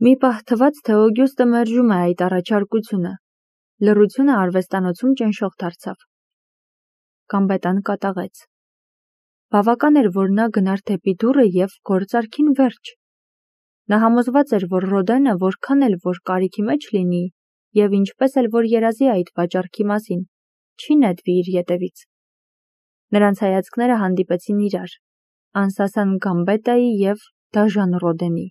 Մի պահ թվաց, թե Օգյուստը մերժում է այդ առաջարկությունը։ Լռությունը արվեստանոցում ճնշող դարձավ։ Գամբետան կատաղեց։ Բավական էր, որ նա գնար դեպի դուռը և գործարքին վերջ։ Նա համոզված էր, որ Ռոդենը որքան էլ որ կարիքի մեջ լինի, և ինչպես էլ որ երազի այդ վաճառքի մասին, չի նետվի իր ետևից։ Նրանց հայացքները հանդիպեցին իրար, անսասան Գամբետայի և դաժան Ռոդենի։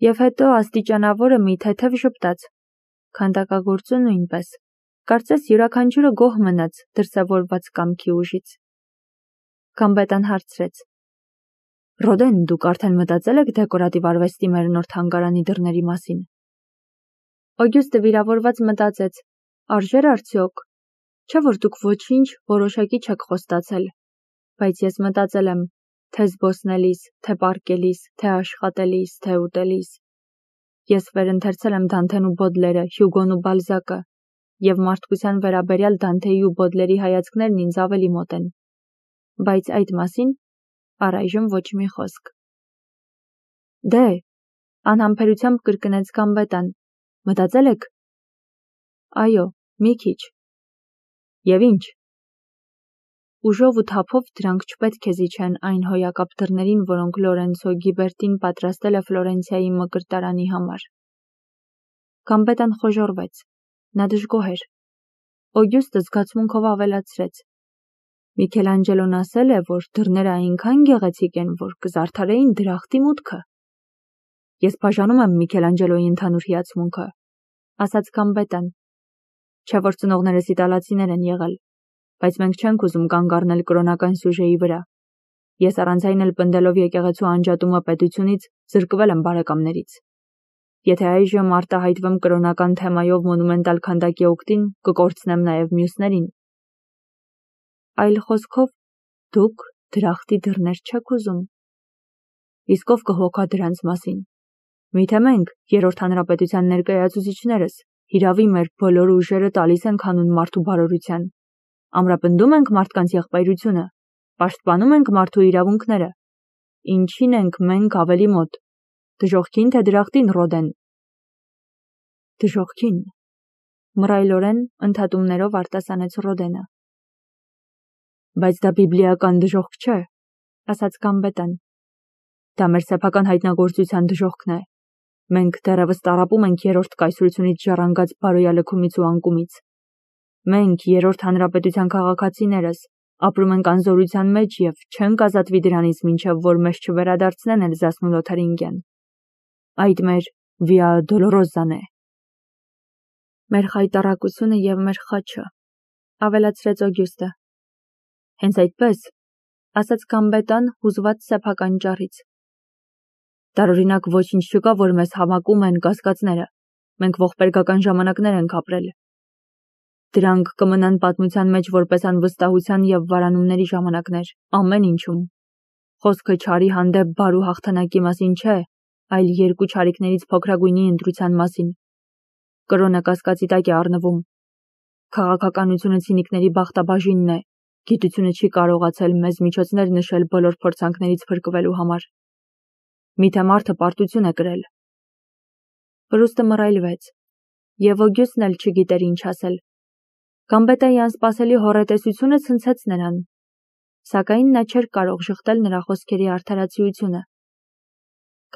Եվ հետո աստիճանավորը մի թեթև ժպտաց, քանդակագործը նույնպես, կարծես յուրաքանչյուրը գոհ մնաց դրսևորված կամքի ուժից։ Գամբետան հարցրեց. Ռոդեն, դուք արդեն մտածել եք դեկորատիվ արվեստի մեր նոր թանգարանի դռների մասին։ Օգյուստը վիրավորված մտածեց. արժեր արդյոք, չէ որ դուք ոչինչ որոշակի չեք խոստացել, բայց ես մտածել եմ, թե զբոսնելիս, թե պառկելիս, թե աշխատելիս, թե ուտելիս։ Ես վերընթերցել եմ Դանթեն ու Բոդլերը, Հյուգոն ու Բալզակը, և մարդկության վերաբերյալ Դանթեի ու Բոդլերի հայացքներն ինձ ավելի մոտ են։ Բայց այդ մասին առայժմ ոչ մի խոսք։ Դե, անհամբերությամբ կրկնեց Գամբետան, մտածել եք։ Այո, մի քիչ։ Եվ ինչ։ Ուժով ու թափով դրանք չպետք է զիջեն այն հոյակապ դռներին, որոնք Լորենցո Գիբերտին պատրաստել է Ֆլորենցիայի մկրտարանի համար։ Գամբետան խոժոռվեց։ Նա դժգոհ էր։ Օգյուստը զգացմունքով ավելացրեց. Միքելանջելոն ասել է, որ դռները այնքան գեղեցիկ են, որ կզարդարեին դրախտի մուտքը։ Ես բաժանում եմ Միքելանջելոյի ընդհանուր հիացմունքը, ասաց Գամբետան։ Չէ որ ծնողներս իտալացիներ են եղել, բայց մենք չենք ուզում կանգ առնել կրոնական սյուժեի վրա։ Ես առանց այն էլ պնդելով եկեղեցու անջատումը պետությունից զրկվել եմ բարեկամներից։ Եթե այժմ արտահայտվեմ կրոնական թեմայով մոնումենտալ քանդակի օգտին, կկորցնեմ նաև մյուսներին։ Այլ խոսքով, դուք դրախտի դռներ չեք ուզում։ Իսկ ով կհոգա դրանց մասին։ Միթե մենք, Երրորդ հանրապետության ներկայացուցիչներս, հիրավի մեր բոլոր ուժերը տալիս ենք հանուն մարդու բարօրության։ Ամրապնդում ենք մարդկանց եղբայրությունը, պաշտպանում ենք մարդու իրավունքները։ Ինչին ենք մենք ավելի մոտ։ Դժոխքին թե դրախտին, Ռոդեն։ Դժոխքին, մռայլորեն ընդհատումներով արտասանեց Ռոդենը։ Բայց դա բիբլիական դժոխք չէ, ասաց Գամբետան։ Դա մեր սեփական հայտնագործության դժոխքն է։ Մենք դեռևս տառապում ենք երրորդ կայսրությունից ժառանգած բարոյալքումից ու անկումից։ Մենք, Երրորդ հանրապետության քաղաքացիներս, ապրում ենք անզորության մեջ և չենք ազատվի դրանից, մինչև որ մեզ չվերադարձնեն Էլզասն ու Լոթարինգիան։ Այդ մեր Վիա Դոլորոզան է։ Մեր խայտառակությունը և մեր խաչը, ավելացրեց Օգյուստը։ Հենց այդպես, ասաց Գամբետան հուզված սեփական ճառից։ Տարօրինակ ոչինչ չկա, որ մեզ համակում են կասկածները։ Մենք ողբերգական ժամանակներ ենք ապրել։ Դրանք կմնան պատմության մեջ որպես անվստահության և վարանումների ժամանակներ, ամեն ինչում։ Խոսքը չարի հանդեպ բարու հաղթանակի մասին չէ, այլ երկու չարիքներից փոքրագույնի ընտրության մասին։ Կրոնը կասկածի տակ է առնվում։ Քաղաքականությունը ցինիկների բախտաբաժինն է, գիտությունը չի կարողացել մեզ միջոցներ նշել բոլոր փորձանքներից փրկվելու համար։ Միթե մարդը պարտություն է կրել։ Պրուստը մռայլվեց, և Օգյուստն էլ չգիտեր ինչ ասել։ Գամբետայի անսպասելի հոռետեսությունը ցնցեց նրան, սակայն նա չէր կարող շղթել նրա խոսքերի արդարացիությունը։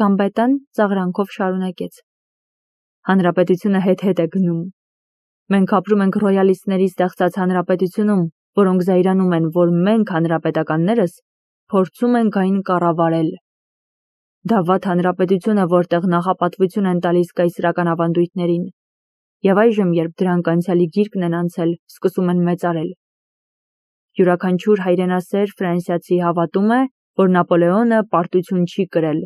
Գամբետան ծաղրանքով շարունակեց. Հանրապետությունը հետ-հետ է գնում։ Մենք ապրում ենք ռոյալիստների ստեղծած հանրապետությունում, որոնք զայրանում են, որ մենք հանրապետականներս փորձում ենք այն կառավարել։ Դա վատ հանրապետություն է, որտեղ նախապատվություն են տալիս կայսրական ավանդույթներին, և այժմ, երբ դրանք անցյալի գիրկն են անցել, սկսում են մեծարել։ Յուրաքանչյուր հայրենասեր ֆրանսիացի հավատում է, որ Նապոլեոնը պարտություն չի կրել,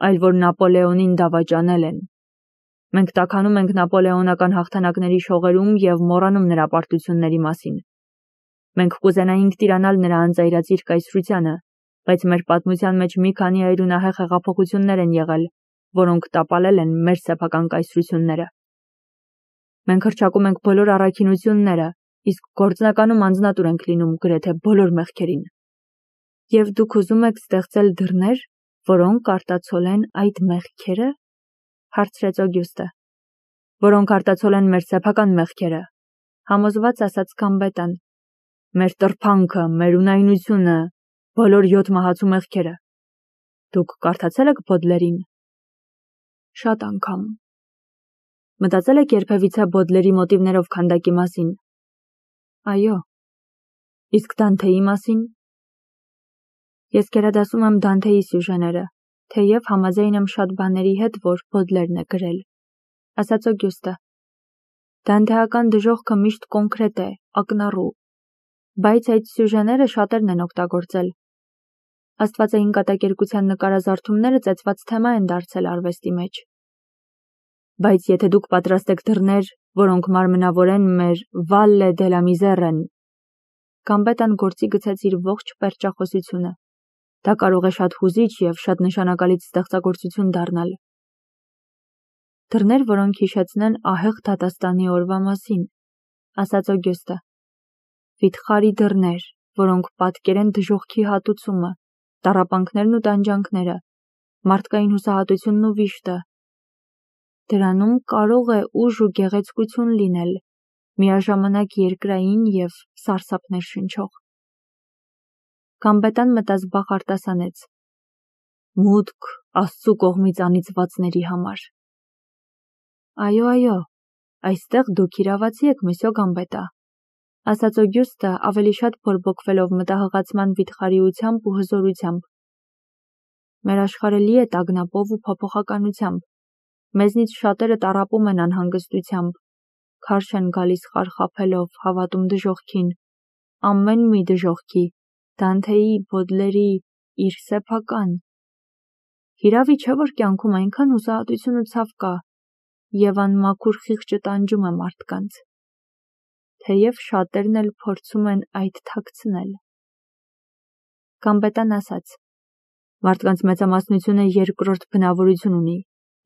այլ որ Նապոլեոնին դավաճանել են։ Մենք տաքանում ենք նապոլեոնական հաղթանակների շողերում և մոռանում նրա պարտությունների մասին։ Մենք կուզենայինք տիրանալ նրա անծայրածիր կայսրությանը, բայց մեր պատմության մեջ մի քանի այրունահեղ հեղափոխություններ են եղել, որոնք տապալել են մեր սեփական կայսրությունները։ Մենք հռչակում ենք բոլոր առաքինությունները, իսկ գործնականում անձնատուր ենք լինում գրեթե բոլոր մեղքերին։ Եվ դուք ուզում եք ստեղծել դռներ, որոնք արտացոլեն այդ մեղքերը։ հարցրեց Օգյուստը, որոնք արտացոլ են մեր սեփական մեղքերը, համոզված ասաց Գամբետան, մեր տրփանքը, մեր ունայնությունը, բոլոր 7 մահացու մեղքերը։ Դուք կարդացել եք Բոդլերին։ Շատ անգամ։ Մտածել եք երբևիցե Բոդլերի մոտիվներով քանդակի մասին։ Այո։ Իսկ Դանթեի մասին։ Ես գերադասում եմ Դանթեի սյուժեները, թեև համաձայն եմ շատ բաների հետ, որ Բոդլերն է գրել, ասաց Օգյուստը։ Դանթեական դժոխքը միշտ կոնկրետ է, ակնառու, բայց այդ սյուժեները շատերն են օգտագործել։ Աստվածային կատակերգության նկարազարդումները ծեծված թեմա են դարձել արվեստի մեջ։ Բայց եթե դուք պատրաստ եք դռներ, որոնք մարմնավորեն մեր Վալլե դե լա Միզերեն, Գամբետան գործի գցեց իր ողջ պերճախոսությունը։ Դա կարող է շատ հուզիչ և շատ նշանակալից ստեղծագործություն դառնալ։ Դռներ, որոնք հիշեցնեն ահեղ դատաստանի օրվա մասին, ասաց Օգյուստը։ Վիթխարի դռներ, որոնք պատկերեն դժոխքի հատուցումը, տառապանքներն ու տանջանքները, մարդկային հուսահատությունն ու վիշտը։ Դրանում կարող է ուժ ու գեղեցկություն լինել, միաժամանակ երկրային և սարսափներ շնչող։ Գամբետան մտազբաղ արտասանեց. Մուտք Աստծու կողմից անիծվածների համար։ Այո, այստեղ դուք իրավացի եք, մսյո Գամբետա, ասաց Օգյուստը ավելի շատ բորբոքվելով մտահղացման վիթխարիությամբ ու հզորությամբ։ Մեր աշխարհը լի է տագնապով ու փոփոխականությամբ։ Մեզնից շատերը տառապում են անհանգստությամբ, քարշ են գալիս խարխափելով, հավատում դժոխքին, ամեն մի դժոխքի, Դանթեի, Բոդլերի, իր սեփական։ Հիրավի չէ, որ կյանքում այնքան հուսահատություն ու ցավ կա, և անմաքուր խիղճը տանջում է մարդկանց, թեև շատերն էլ փորձում են այդ թաքցնել։ Գամբետան ասաց. Մարդկանց մեծամասնությունը երկրորդ բնավորություն ունի,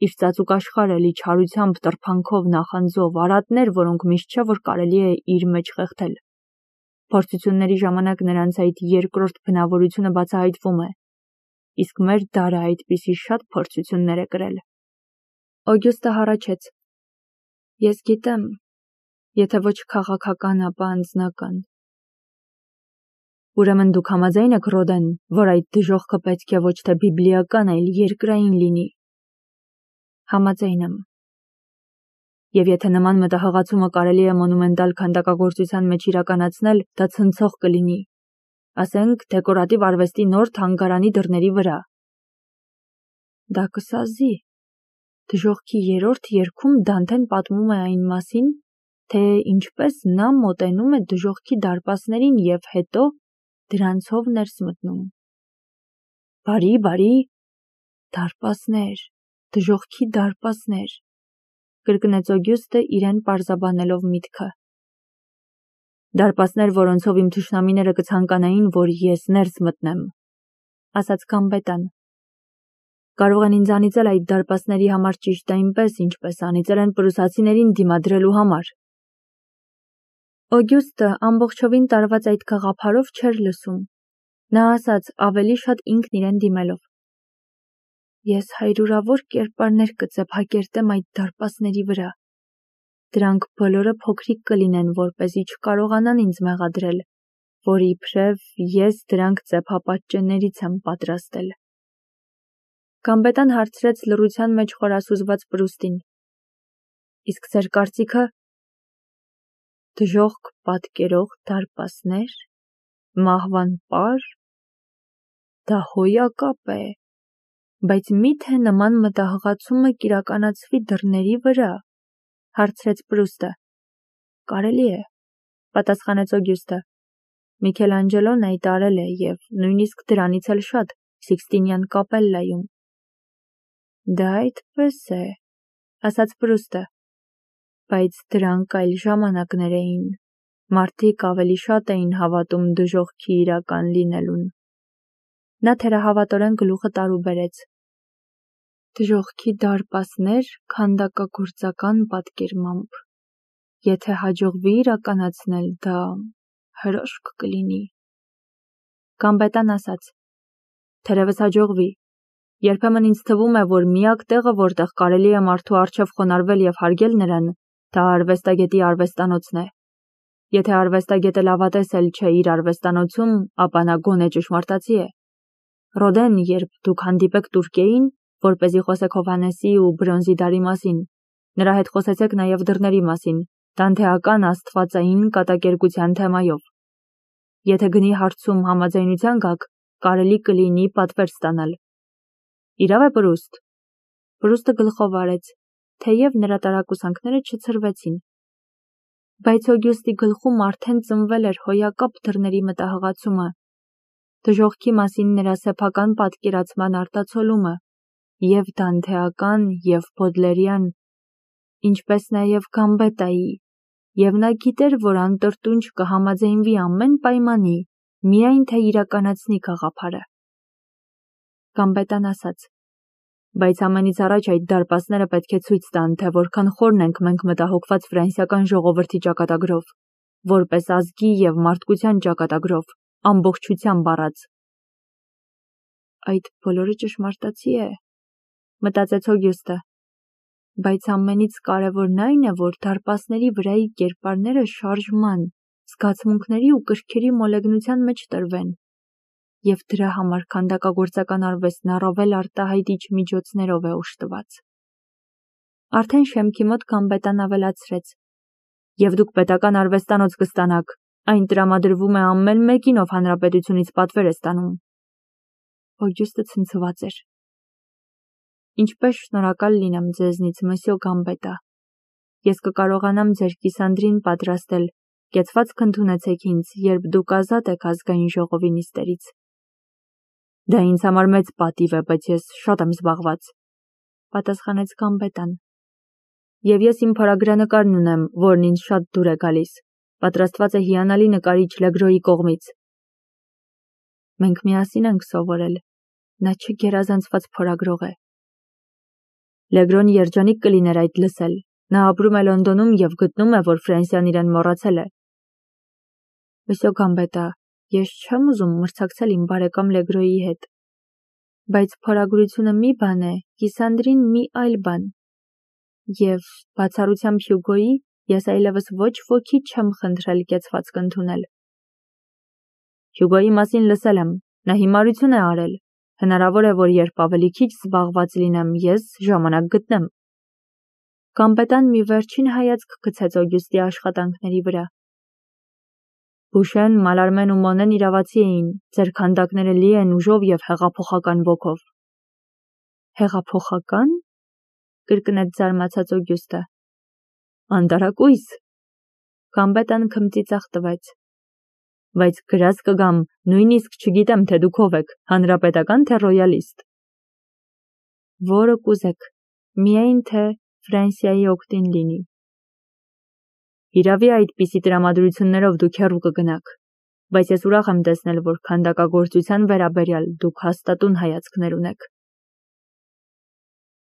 իր ծածուկ աշխարհը լի չարությամբ, տրփանքով, նախանձով, արատներ, որոնք միշտ չէ, որ կարելի է իր մեջ խեղդել։ Փորձությունների ժամանակ նրանց այդ երկրորդ բնավորությունը բացահայտվում է, իսկ մեր դարը այդպիսի շատ փորձություններ է կրել։ Օգյուստը հառաչեց. Ես գիտեմ, եթե ոչ քաղաքական, ապա անձնական։ Ուրեմն դուք համաձայն եք, Ռոդեն, որ այդ դժոխքը պետք է ոչ թե բիբլիական, այլ երկրային լինի։ Համաձայն եմ։ Եվ եթե նման մտահղացումը կարելի է մոնումենտալ քանդակագործության մեջ իրականացնել, դա ցնցող կլինի, ասենք դեկորատիվ արվեստի նոր թանգարանի դռների վրա։ Դա կսազի։ Դժոխքի 3-րդ երգում Դանթեն պատմում է այն մասին, թե ինչպես նա մոտենում է դժոխքի դարպասներին և հետո դրանցով ներս մտնում։ Բարի, դարպասներ, դժոխքի դարպասներ, կրկնեց Օգյուստը իրեն պարզաբանելով միտքը։ Դարպասներ, որոնցով իմ թշնամիները կցանկանային, որ ես ներս մտնեմ, ասաց Գամբետան։ Կարող են ինձ անիծել այդ դարպասների համար ճիշտ այնպես, ինչպես անիծել են պրուսացիներին դիմադրելու համար։ Օգյուստը ամբողջովին տարված այդ գաղափարով չէր լսում։ Նա ասաց ավելի շատ ինքն իրեն դիմելով. Ես հարյուրավոր կերպարներ կծեփակերտեմ այդ դարպասների վրա։ Դրանք բոլորը փոքրիկ կլինեն, որպեսզի չկարողանան ինձ մեղադրել, որ իբրև ես դրանք ծեփապատճեններից եմ պատրաստել։ Գամբետան հարցրեց լռության մեջ խորասուզված Պրուստին. Իսկ ձեր կարծիքը։ Դժոխք պատկերող դարպասներ, մահվան պար, դա հոյակապ է, բայց մի՞թե նման մտահղացումը կիրականացվի դռների վրա, հարցրեց Պրուստը։ Կարելի է, պատասխանեց Օգյուստը։ Միքելանջելոն այդ արել է և նույնիսկ դրանից էլ շատ Սիքստինյան կապելլայում։ Դա այդպես է, ասաց Պրուստը, բայց դրանք այլ ժամանակներ էին, մարդիկ ավելի շատ էին հավատում դժոխքի իրական լինելուն։ Նա թերահավատորեն գլուխը տարուբերեց։ Դժոխքի դարպասներ քանդակագործական պատկերմամբ։ Եթե հաջողվի իրականացնել, դա հրաշք կլինի։ Գամբետան ասաց. Թերևս հաջողվի, Երբեմն ինձ թվում է, որ միակ տեղը, որտեղ կարելի է մարդու առջև խոնարհվել եւ հարգել նրան, դա արվեստագետի արվեստանոցն է։ Եթե արվեստագետը լավատես էլ չէ իր արվեստանոցում, ապա նա գոնե ճշմարտացի է։ Ռոդեն, երբ դուք հանդիպեք Տուրկիային, որպեսզի խոսեք Հովհաննեսի ու բրոնզի դարի մասին, նրա հետ խոսեցեք նաև դռների մասին, դանթեական աստվածային կատակերգության թեմայով։ Եթե գնի հարցում համաձայնության գաք, կարելի կլինի պատվեր ստանալ։ Իրավ է Պրուստ։ Պրուստը գլխով արեց, թեև նրա տարակուսանքները չցրվեցին։ Բայց Օգյուստի գլխում արդեն ծնվել էր հոյակապ դռների մտահղացումը, դժոխքի մասին նրա սեփական պատկերացման արտացոլումը, և դանթեական, և բոդլերյան, ինչպես նաև Գամբետայի, և նա գիտեր, որ անտրտունջ կհամաձայնվի ամեն պայմանի, միայն թե իրականացնի գաղափարը։ Գամբետան ասաց. բայց ամենից առաջ այդ դարպասները պետք է ցույց տան, թե որքան խորն ենք մենք մտահոգված ֆրանսիական ժողովրդի ճակատագրով, որպես ազգի և մարդկության ճակատագրով, ամբողջությամբ առած։ Այդ բոլորը ճշմարտացի է, մտածեց Օգյուստը, բայց ամենից կարևորն այն է, որ դարպասների վրայի կերպարները շարժման, զգացմունքների ու կրքերի մոլեգնության մեջ տրվեն, և դրա համար քանդակագործական արվեստն առավել արտահայտիչ միջոցներով է օժտված։ Արդեն շեմքի մոտ Գամբետան ավելացրեց. և դուք պետական արվեստանոց կստանաք, այն տրամադրվում է ամեն մեկին, ով հանրապետությունից պատվեր է ստանում։ Օգյուստը ցնցված էր։ Ինչպես շնորհակալ լինեմ ձեզնից, մսյո Գամբետա։ Ես կկարողանամ ձեր կիսանդրին պատրաստել, կեցվածք ընդունեցեք ինձ, երբ դուք ազատ եք ազգային ժողովի նիստերից։ Դա ինձ համար մեծ պատիվ է, բայց ես շատ եմ զբաղված, պատասխանեց Գամբետան։ Եվ ես իմ փորագրանկարն ունեմ, որն ինձ շատ դուր է գալիս, պատրաստված է հիանալի նկարիչ Լեգրոյի կողմից։ Մենք միասին ենք սովորել, նա չգերազանցված փորագրող է։ Լեգրոն երջանիկ կլիներ այդ լսել, նա ապրում է Լոնդոնում և գտնում է, որ Ֆրանսիան իրեն մոռացել է։ Մսյո Գամբետա, ես չեմ ուզում մրցակցել իմ բարեկամ Լեգրոյի հետ, բայց փորագրությունը մի բան է, կիսանդրին մի այլ բան։ Եվ բացառությամբ Հյուգոյի, ես այլևս ոչ ոքի չեմ խնդրել կեցվածք ընդունել։ Հյուգոյի մասին լսել եմ, նա հիմարություն է արել, հնարավոր է, որ երբ ավելի քիչ զբաղված լինեմ, ես ժամանակ գտնեմ։ Գամբետան մի վերջին հայացք գցեց Օգյուստի աշխատանքների վրա։ Բուշեն, Մալարմեն ու Մոնեն իրավացի էին, ձեր քանդակները լի են ուժով և հեղափոխական ոգով։ Հեղափոխական, կրկնեց զարմացած Օգյուստը։ Անտարակույս։ Գամբետան քմծիծաղ տվեց։ Բայց գրած կգամ, նույնիսկ չգիտեմ, թե դուք ով եք, հանրապետական թե ռոյալիստ։ Որը կուզեք, միայն թե Ֆրանսիայի օգտին լինի։ Իրավի այդպիսի տրամադրություններով դուք հեռու կգնաք, բայց ես ուրախ եմ տեսնել, որ քանդակագործության վերաբերյալ դուք հաստատուն հայացքներ ունեք։